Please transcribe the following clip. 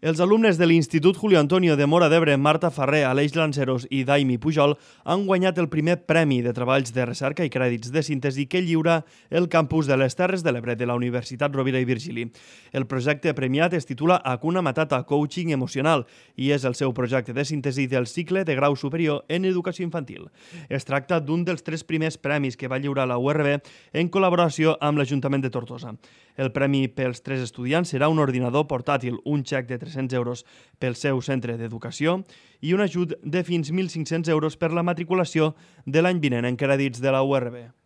Els alumnes de l'Institut Julio Antonio de Móra d'Ebre, Marta Ferrer, Aleix Lanceros i Daimi Pujol han guanyat el primer premi de treballs de recerca i crèdits de síntesi que lliura el campus de les Terres de l'Ebre de la Universitat Rovira i Virgili. El projecte premiat es titula Hakuna Matata, Coaching Emocional i és el seu projecte de síntesi del cicle de grau superior en educació infantil. Es tracta d'un dels 3 primers premis que va lliurar la URB en col·laboració amb l'Ajuntament de Tortosa. El premi pels 3 estudiants serà un ordinador portàtil, un xec de 300 euros pel seu centre d'educació i un ajut de fins 1.500 euros per la matriculació de l'any vinent en crèdits de la URB.